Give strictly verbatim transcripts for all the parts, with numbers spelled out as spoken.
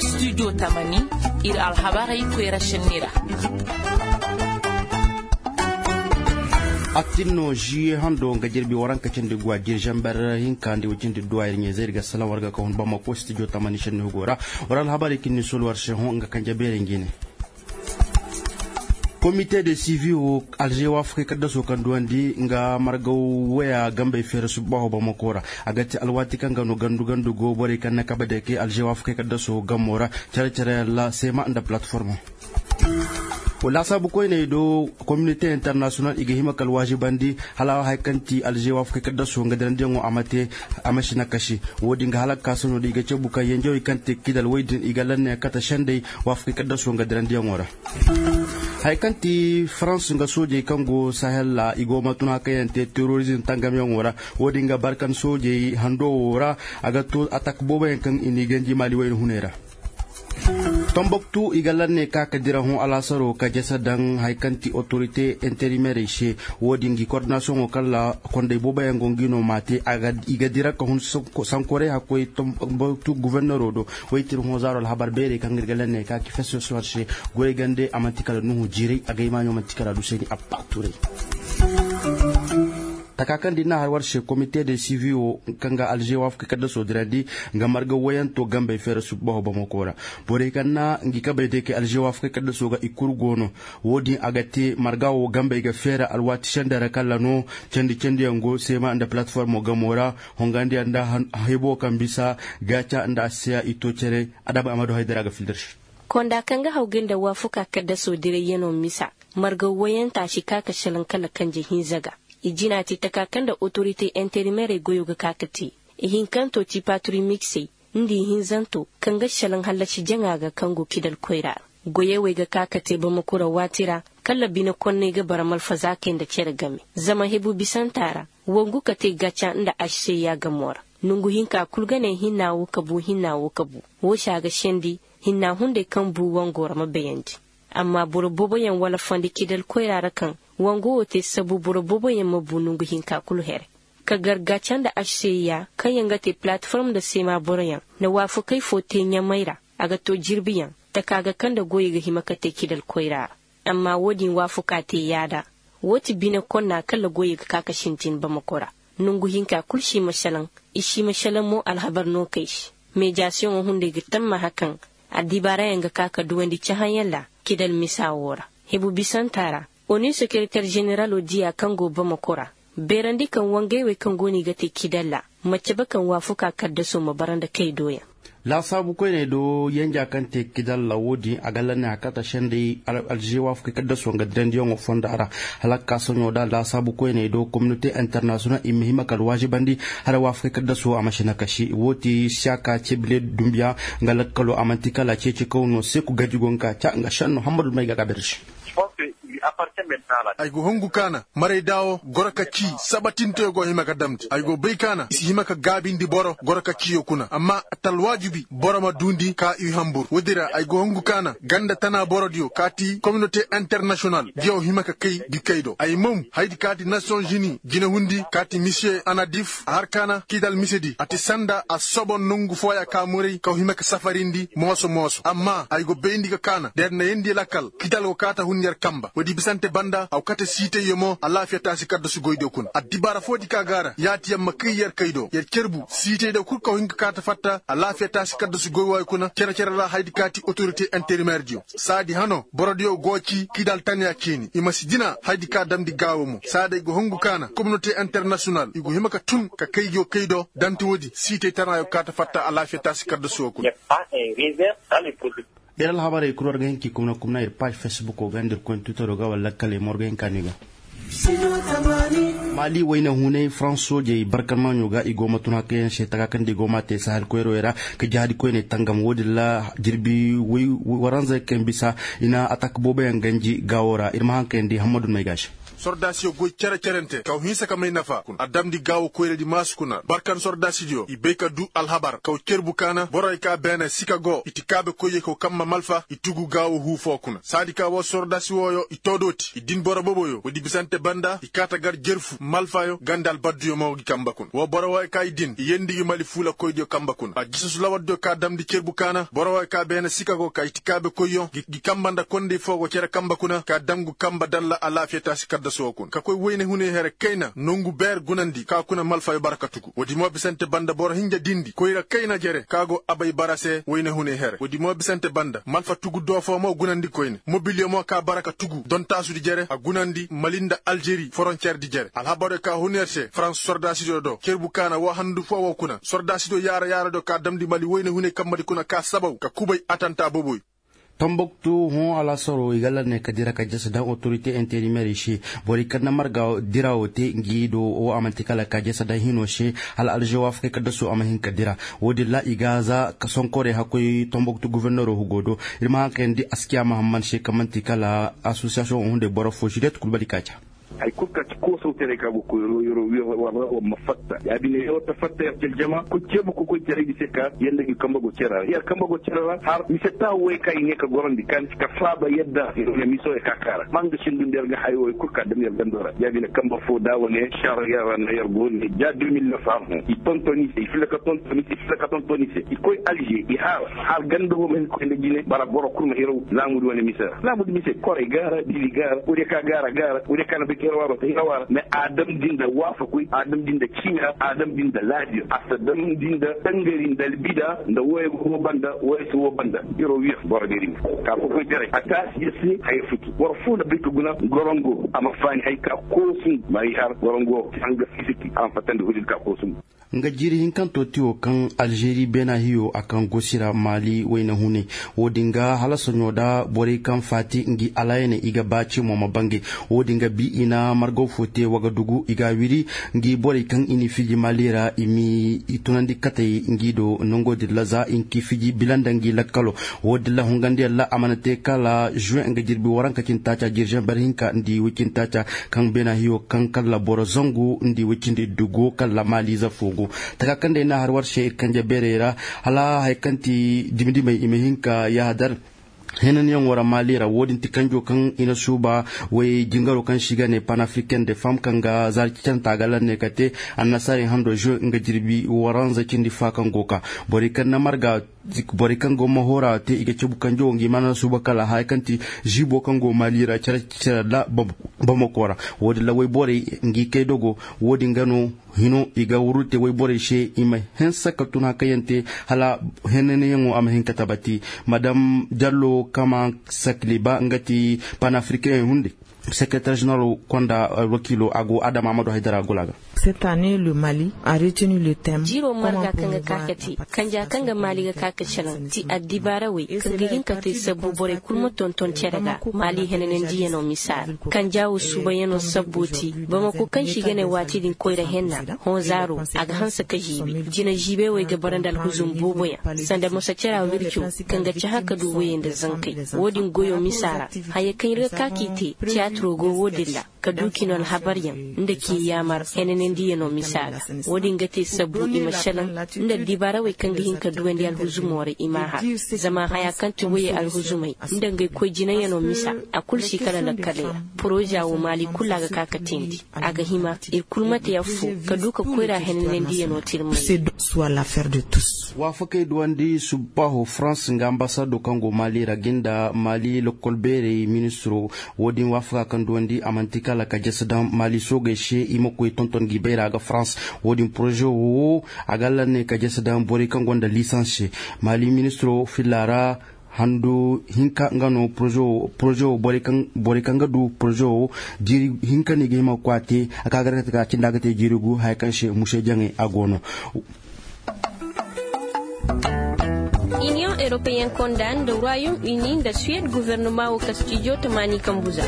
Studio tamani, iri alhabarey koyra senni ra. Attin no ziye hando nga jirbi waranka cindi guwa jiri zamber hinka nda way cindi duwa iri ɲeezay iri ga salaŋ war ga ka hun bamako studio tamani senni hugo ra. War alhabarey kaŋ ni solu war se hõ nga kanje beerey ngi ne. Komite de sivi wo alze waafakey kaddaso kaŋ duwandi nga margaw waya gambey feera subbaaho bamako ra. A ga ti alwaati kaŋ ga no gandu gandu go borey kaŋ na kabe day kay alze waafakey kaddaso gamo ra care care yaŋ ra seema nda palatformo. Laasaabu koyney do, kominite internasiyonal i ga hima kala waazibandi hala hari kaŋ ti alze waafakey kaddaso nga dirandiyaŋo a ma te a ma si nakasi. Wo- din ga hala ga ka sohõ da i ga cabu kaŋ yanjawey kaŋ te kidal way din i ga lanney kate sendey waafakey kaddaso nga dirandiyaŋo ra. Hari kaŋ ti farans nga soojey kaŋ go sahel ra i go ma tun hari kaŋ yaŋ te terorizm tangamyaŋo ra. Wo- din ga barkan soojey hando wo ra. A ga to atak boobo yaŋ kaŋ i n'i ganji maali wayna huney ra. Tambaktu i ga lanney ka ka dira hõ alaasaro ka jasa daŋ hari kaŋ ti otorite interimerey se. Wo- din ga i kordinasiyoŋo kaŋ ra kondey boobo yaŋ go nga i no m'a te. I ga dira ka hun sankoray hakkoy tambaktu guvernero do. Waytiri hõ zaaro alhabar beerey kaŋ ga iri ga lanney ka ka feso se war se. Goyey gande a manti kala nuhu jiiray a ga ay maaɲo manti kala du se ni abba turay. Taka kaŋ da i n'a har war se komite de sivi wo kaŋ ga alze waafakey kaddaso dirandi nga marga wayanto gambey feera subbaho bamako ra. Borey kaŋ na ngi kabey day kay alze waafakey kaddaso ga i kulu go no. Wo- din a ga te marga wo gambey ga feera alwaati sendey ra kala no. Candi candiyaŋ go seema nda palatformo gamo ra. Hongandiyaŋ nda hebo kaŋ bisa gaaca nda a si seeya i to care. Adama amadu haydara ga fila da se. Konda kaŋ ga hawgay nda waafakaa kaddaso dirayyano misa, margaw wayanta si ka ka salaŋ kala kanje hinza ga. I jina ti taka kaŋ nda otorite interimerey goyo ga ka ka te. Ihinkanto ti paturi miksey nda ihinzanto kaŋ ga salaŋ hallasi jaŋa ga kaŋ go kidal koyra ra. Goyey wey ga ka ka te bamako ra waati ra. Kala bine konney ga bara malfazaakey nda care game zama hebu bisanta ra. Wangu ka te gaca nda aseya gamo ra. Nongu hinka kulu ga ne hinna wo ka bu hinna wo ka bu. Wo se a ga sendi hinna hunday kaŋ bu wango ra ma bayandi. Amma boro booboyaŋ wala fondi kidal koyra ra kaŋ wango wo te sabu boro booboyaŋ ma bu nongu hinka kulu here. Ka gar gaca nda aseya kaŋ yaŋ ga te palatform nda seema boroyaŋ na waafakey fo te ɲamay ra. A ga to jirbiyaŋ taka ga kaŋ nda goyey ga hima ka te kidal koyra ra. Amma wo- din waafakaa te yaada. Wo ti bine konna kala goyey ga ka ka sintin bamako ra. Nongu hinka kulu si ma salaŋ. I si ma salaŋ mo alhabar no kay se. Meejasiyoŋo hunday ga tammaha kaŋ addibaarayaŋ ga ka ka duwandi cahãyaŋ ra. Kidal misa wo ra hebu bisanta ra. Onu sekereter zeneralo diya kaŋ go bamako ra beerandi kaŋ wangey wey kaŋ go no i ga te kidal ra. Ma cabe kaŋ waafakaa kaddaso ma bara nda kay doyaŋ. Laasaabu koyney do yanja kaŋ te kidal ra wo- din a ga lanne a kata sendey alze waafakey kaddaso nga dirandiyaŋo fonda ra. Hala ga ka sohõ da laasaabu koyney do kominote internasiyonal i ma hima kala waazibandi. Hala waafakey kaddaso a ma si nakasi wo- ti siyaka cebile dumbiya nga lakkalo a manti kala ceeci kaw no seeku gaji go nga ka ca nga senno hammadu may ga ga birsi. Ay go hungu kaana maray daawo goro ka ci sabatinteyo go hima ka damndi ay go bay kaana i si hima ka gaabindi boro goro ka ciyo kuna amma talwaajibi boro ma duundi ka i hambur woodin ra ay go hungu kaana ganda tana borodiyo kaati kominote internasiyonal diyaw hima ka kay ga kay do ay mom haydi kaati nasiyoŋ zini jinehundi kaati misiye anadif a har kaana kiidal misedi a ti sanda a sobo nongu fooya ka muray ka hima ka safarindi mooso mooso amma ay go bayndi ga kaana da yar na yandi lakkal kiidal go kaata hun yar kamba woodi bisante banda a go kate siitayyo mo alaafiya taasi kaddasu goydiyo kuna addibaara foodi ka gaara yaati yar ma kay yar kaydo yar carbu siitaydo kul ka go hin ka kaata fatta alaafiya taasi kaddasu goy waayo kuna care care ra haydi kaati otorite interimerdiyo saadi hano borodiyo go ci kiidal tanya ciini i ma si jina haydi ka damndi gaawo mo saadi ay go hungu kaana kominote internasiyonal i go hima ka tun ka kay go kay do danti woodi siitay tana yo kaata fatta alaafiya taasi kaddasu wo kuna. Iri alhabarey kulu war ga hin k'i kumna kumna iri paazi fesbuko ga nda iri koyne twitero ga wala lakkaley mo war ga hin ka no i ga. Maali wayna hunay farans soojey barkan maaɲo ga i go ma tun hari kaŋ yaŋ se taka kaŋ nda i go m'a te sahel koyrowey ra ka jahadi koyney tangam wo- din ra jirbi waranzey kaŋ bisa i na atak boobo yaŋ ganji gaawo ra iri ma haŋ kayandi hammadu no ay ga a se. Sordaasiyo goy cere-cerente kaw hinsa ka may nafa kuna a damndi gaawo koyradi maasu kuna barkan sordaasidiyo i bay ka du alhabar kaw cerbu kaana borey ka beene sika go i ti kaabe koyye kaw kamma malfa i tugu gaawo huu foo kuna saadi ka woo sordaasi wooyo i too dooti i din boro boboyo woodi bisante banda i kaa ta gar jerfu malfayo ganda albadduyo mo gi kamba kuna woo boro wooyo ka i din i yeendi gi mali fuula koydiyo kamba kuna a jisasu lawardiyo ka damndi cerbu kaana boro wooyo ka beene sika go ka i ti kaabe koyyo gi kamba nda kondey foo go cere kamba kuna ka dangu kamba dalla alaafiya taasi kaddasu woo kuna ka koy wayne hunay here kayna nongu beer gunandi ka kuna malfayo bara ka tugu woodi mo bisante banda boro hinja dindi koyra kayna jere ka go abay bara se wayne hunay here woodi mo bisante banda malfa tugu doofo mo gunandi koyne mobiliyo mo ka bara ka tugu dontaasudi jere a gunandi mali nda alžeri foronceerdi jere alhabaryo ka hun yer se farans sordaasidiyo do cerbu kaana woo handu foo woo kuna sordaasidiyo yaara-yaaradiyo ka damndi mali wayne hunay kambadi kuna ka sabaw ka kubay atanta boboy. Tambaktu hõ alaasaro i ga lanney ka dira ka jasa daŋ otorite interimeerey se. Borey kaŋ na marga dira wo te ngi do wo a manti kala ka jasa daŋ hino se hala alžewa fo kay ka dasu a ma hin ka dira. Wo-din ra i ga za ka sonkorey hakkoy tambaktu goforneero hugo do. Iri ma haŋ kayandi askiya mahamman se kaŋ manti kala asosiyasiyoŋ wo hunday boro fo žiriyet kulu bari kaaca. Hari kulu kaŋ ti koosaw taray kaŋ a go koyro yerwa wara war ma fatta ya- bine yerwa ta fatta yer ta jama kulu ceebu ka koy taray di se ka yanda ga i kambe go care ra yer kambe go care ra har mise taahu way kaŋ i ne ka gorandi kaŋ ti ka faaba yadda yer wane miso yer ka kaara ma nga sindu nda yer ga hayo way kulu ka dam yer gando ra ya- bine kambe fo da wane sar yer ra no yer go ne da deux mille neuf har hõ i tonton i se i filla ka tonton i se i filla ka tonton i se i koy alže i har har ganda wo ma hin koy nda jine bara boro kulu ma hiraw laamudi wane mise ra laamudi mise koray gaara dili gaara wuri ka gaara gaara wuri ka na bay ka hiraw waaro ta hiraw waara mais a dam din da waafakoy a dam din da ciina a dam din da laabiyo a si dam din da tangari nda albida nda wooyo ga wo banda wooyo si wo banda hiraw wiya boro deeri ma ka kokoy taray a taasi ya se haya futu boro fo na bay ka guna gorongo a ma faani hay ka koosu ma ay har gorongo hanga fisiki a ma fattandi hudin ka koosu. Nga jiiri hinkanto ti wo kaŋ alžeri beena hiyo a kaŋ gosi ra maali wayna hunay. Wo-din ga hala soɲo da borey kaŋ faati ngi alaayaney i ga ba cimo ma bangay. Wo-din ga bi i na margaw fo te wagadugu i ga a wiri ngi borey kaŋ i n'i fiji maali ra i m'i tunandi katey ngi do nango din ra za i n'i fiji bila nda ngi lakkalo. Wo-din ra hungandiyaŋ ra a mana te kala žuwe nga jirbi waranka cindi taaca jirzeŋ bar hinka nda i way cindi taaca kaŋ beena hiyo kaŋ kala boro zangu nda i way cindi iddu go kala maaliize fo go. Taka kaŋ day no a har war se iri kanje beerey ra hala hari kaŋ ti dimi-dimey i ma hin ka yaaha dar henanyaŋo ra maali ra wo- din ti kanjo kaŋ i na suuba way jingaro kaŋ se i ga ne panafricaine de femme kaŋ ga zaari cicanta a ga lanne ka te annasaarey hando žuwe nga jirbi waranza cindi fa kaŋ go ka borey kaŋ na marga borey kaŋ go ma hoora te i ga cabu kanjo wo ngi mana suuba kala haya kaŋ ti ziibo kaŋ go maali ra care care ra bamako ra. Wo- din ra wayborey ngi kay dogo wo- din ga no hino i ga wurru te wayborey se i ma hanse ka tun hakayante hala henanyaŋo a ma hin ka tabati. Madam jallo kama sakliba nga ti panafricain hunde secretaire général konda alwakiilo a go adama amadu haydara gulaga. Cette année le mali a retenu le thème jiiro marga kaŋ ga ka ka te kanja kaŋ ga maali ga ka ka calaŋ ti addibaara wey kaŋ ga hin ka te sabbu borey kulu ma tonton care ga maali henanandiyaŋo misa ra kanja wo suubayaŋo sabbo ti bamako kaŋ se i ga ne waati din koyra henna hõ zaaro a ga hanse ka ziibi jina ziibey wey ga bara nda alhuzum booboyaŋ sanda moso cara wirco kaŋ ga cahã ka du wayey nda zankey wo- din goyo misa ra haya kaŋ iri ga ka k'i te tiyaatiro go wo- din ra ka du k'i no alhabaryaŋ nda k'i yaamar henanandiyaŋo misa ga wo- din ga te sabbu i ma selaŋ nda dibaarawey kaŋ ga hin ka duwandi alhuzumo ra i m'a har zama haya kaŋ ti wayey alhuzumey nda ngey koy jinayaŋo misa a kulu si kala lakkaley ra poroza wo maali kulu a ga ka ka teendi a ga hima iri kulu ma te affo ka du ka koyra henanandiyaŋo tirmay. Waafakey duwandi subbaho farans nga ambasado kaŋ go maali ra ga nda maali lokol beerey ministiro wo- din waafaka kaŋ duwandi a manti kala ka jasa daŋ maali soogey se i ma koy tonton ga i bayra ga farans wo- din poroze wo a ga lanne ka jasa daŋ borey kaŋ gonda lisans se maali ministiro filla ra handu hinka nga no poroze wo borey kaŋ ga du poroze wo jiiri hinka no i ga hima ga koy a te a ka ga raka taka cindi a ga te jiiri gu haya kaŋ se muse jaŋey a go no. Iniyoŋ eropeyen konda nda royom uni nda suwed guvernoma wo kastijo tamaani kambuza.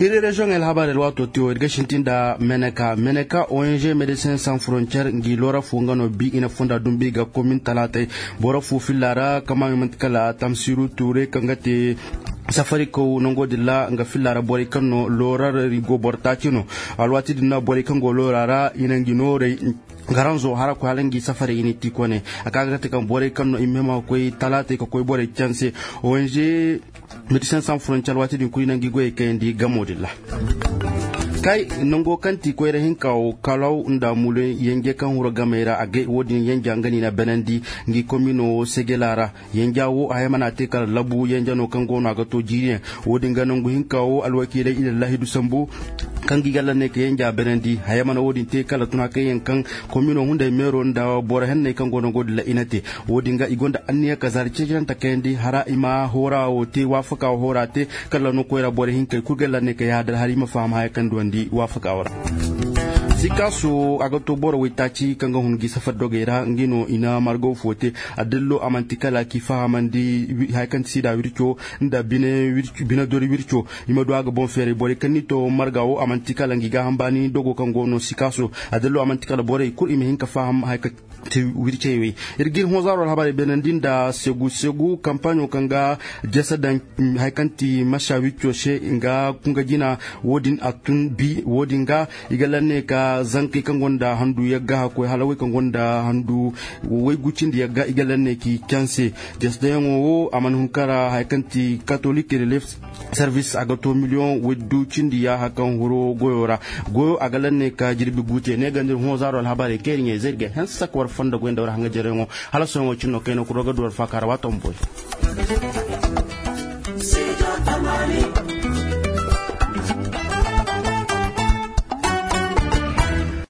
Iri reziyoŋey alhabar alwaato tiyo iri ga sintin nda meneka meneka ong médecin sans frontière ngi loora fo nga no bi i na fonda dumbi ga komin talaatey boro fo filla ra kama i manti kala tamsiru ture kaŋ ga te Safarikaw nango din ra nga filla ra borey kaŋ no loorari go boro taaci no. Alwaati din no borey kaŋ go loora ra i na ngi noorey, garanzo hara koy hala ngi safarey i na ti kone. A ka ga te kaŋ borey kaŋ no i ma hima ga koy talaatey ka koy borey canse. Ong medecin san frontier alwaati din kulu i na ngi goyey kayandi gamo din ra. Kay, nango kaŋ ti koyra hinka wo kalaw nda mulen yanje kaŋ huro gamey ra a gay wo- din yanja nga no i na benandi. Ngi komino segela ra. Yanja wo haya mana te kala labu yanja no kaŋ go no a ga to jiiriyaŋ. Wo- din ga nangu hinka wo alwakiiley i na lahidu sambu kaŋ ga i ga lanney ka yanja benandi haya mana wo- din te kala tuna kaŋ yaŋ kaŋ komino hunday meero nda boro henney kaŋ go nango din ra i na te. Wo- din ga i gonda anniya ka zaari ceecirante kayandi hara i ma hoora wo te waafaka wo hoora te. Kala no koyra boro hinkey kulu ga lanney ka yaadar hara i ma faham haya kaŋ duwandi waafaka wo ra. Sikaaso a ga to boro waytaaci kaŋ ga hun gi safar dogey ra nga no i na margaw fo te. Adillo a manti kala k'i fahamandi haya kaŋ ti siida wirco nda bine dori wirco. I ma du a ga boŋ feeray borey kaŋ ni to marga wo a manti kala ngi gaaham baani dogo kaŋ go no sikaaso. Adillo a manti kala borey kulu i ma hin ka faham haya kaŋ te wircey wey. Iri ga iri hõ zaaro alhabarey beenandi nda segu segu kampaaɲo kaŋ ga jasa daŋ haya kaŋ ti masa wicco se nga kunga jina. Wo- din a tun bi wo- din ga i ga lanne ka zankey kaŋ gonda handu yagga hakkoy hala wey kaŋ gonda handu waygu cindi yagga i ga lanne k'i canse. Jasa daŋyaŋo wo a mana hun kara haya kaŋ ti katolik de lef service a ga to miliyoŋ waydu cindi yaaha kaŋ huro goyo ra. Goyo a ga lanne ka jirbi guute ne ganda iri hõ zaaro alhabarey kaŋ iri ɲey zay iri ga hanse saka war fondo goy nda war hanga jareyaŋo. Hala sohõ wo cine no kayna kuro ga du war faaka ra waato ma boy.